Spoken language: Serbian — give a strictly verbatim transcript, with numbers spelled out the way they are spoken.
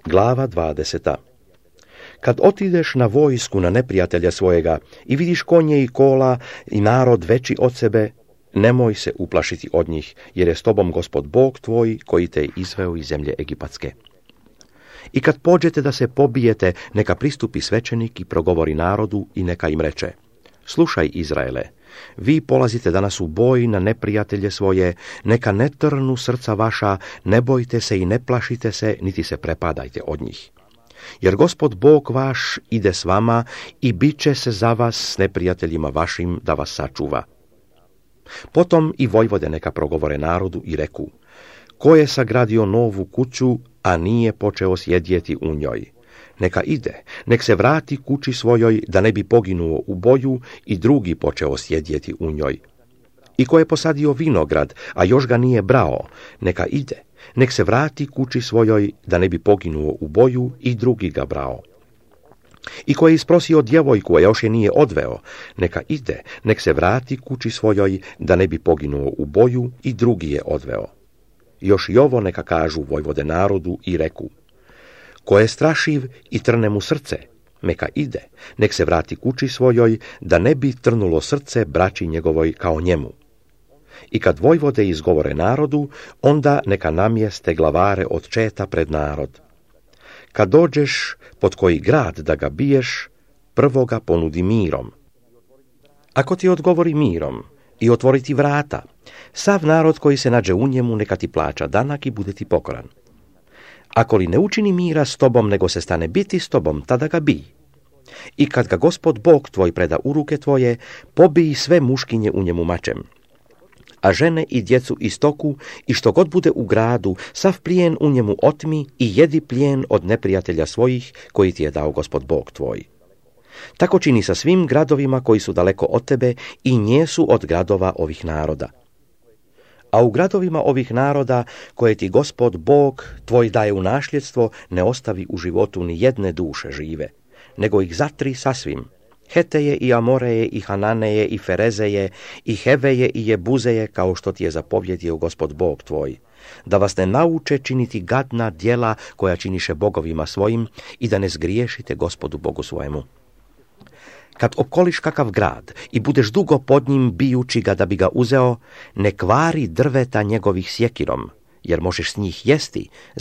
Glava dvadeseta. Kad otideš na vojsku na neprijatelja svojega i vidiš konje i kola i narod veći od sebe, nemoj se uplašiti od njih, jer je s tobom Gospod Bog tvoj koji te je izveo iz zemlje Egipatske. I kad pođete da se pobijete, neka pristupi svećenik i progovori narodu i neka im reče: slušaj, Izraele, vi polazite danas u boj na neprijatelje svoje, neka ne trnu srca vaša, ne bojte se i ne plašite se, niti se prepadajte od njih. Jer Gospod Bog vaš ide s vama i bit će se za vas s neprijateljima vašim da vas sačuva. Potom i vojvode neka progovore narodu i reku: ko je sagradio novu kuću, a nije počeo sjedjeti u njoj, neka ide, nek se vrati kući svojoj, da ne bi poginuo u boju i drugi počeo sjedjeti u njoj. I ko je posadio vinograd, a još ga nije brao, neka ide, nek se vrati kući svojoj, da ne bi poginuo u boju i drugi ga brao. I ko je isprosio djevojku, a još je nije odveo, neka ide, nek se vrati kući svojoj, da ne bi poginuo u boju i drugi je odveo. Još i ovo neka kažu vojvode narodu i reku: ko je strašiv i trne mu srce, neka ide, nek se vrati kući svojoj, da ne bi trnulo srce braći njegovoj kao njemu. I kad vojvode izgovore narodu, onda neka namjeste glavare od četa pred narod. Kad dođeš pod koji grad da ga biješ, prvo ga ponudi mirom. Ako ti odgovori mirom i otvori ti vrata, sav narod koji se nađe u njemu neka ti plaća danak i bude ti pokoran. Ako li ne učini mira s tobom, nego se stane biti s tobom, tada ga bij. I kad ga Gospod Bog tvoj preda u ruke tvoje, pobij sve muškinje u njemu mačem. A žene i djecu i stoku i što god bude u gradu, sav plijen u njemu otmi i jedi plijen od neprijatelja svojih koji ti je dao Gospod Bog tvoj. Tako čini sa svim gradovima koji su daleko od tebe i njesu od gradova ovih naroda. A u gradovima ovih naroda koje ti Gospod Bog tvoj daje u nasljedstvo, ne ostavi u životu ni jedne duše žive, nego ih zatri sasvim. Heteje i Amoreje i Hananeje i Ferezeje i Heveje i Jebuzeje, kao što ti je zapovjedio Gospod Bog tvoj, da vas ne nauče činiti gadna djela koja činiše bogovima svojim i da ne zgriješite Gospodu Bogu svojemu. Kad okoliš kakav grad i budeš dugo pod njim bijući ga da bi ga uzeo, ne kvari drveta njegovih sjekirom, jer možeš s njih jesti,